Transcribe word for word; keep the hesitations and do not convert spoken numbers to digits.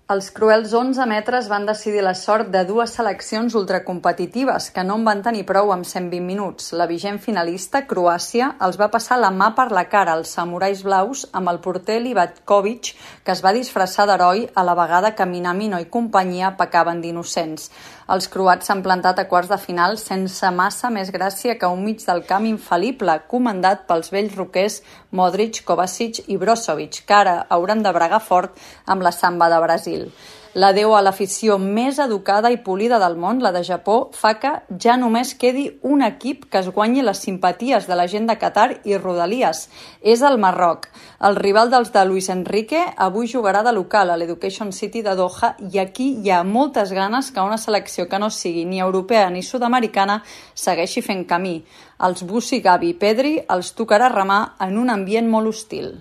Els cruels onze metres van decidir la sort de dues seleccions ultracompetitives que no en van tenir prou amb cent vint minuts. La vigent finalista, Croàcia, els va passar la mà per la cara als samurais blaus amb el porter Livakovic, que es va disfressar d'heroi a la vegada que Minamino i companyia pecaven d'innocents. Els croats s'han plantat a quarts de final sense massa més gràcia que un mig del camp infal·lible, comandat pels vells roquers Modric, Kovacic i Brozovic, que ara hauran de bregar fort amb la samba de Brasil. L'adeu a l'afició més educada i polida del món, la de Japó, fa que ja només quedi un equip que es guanyi les simpaties de la gent de Qatar i rodalies. És el Marroc. El rival dels de Luis Enrique avui jugarà de local a l'Education City de Doha i aquí hi ha moltes ganes que una selecció que no sigui ni europea ni sud-americana segueixi fent camí. Els Bussi, Gavi i Pedri els tocarà remar en un ambient molt hostil.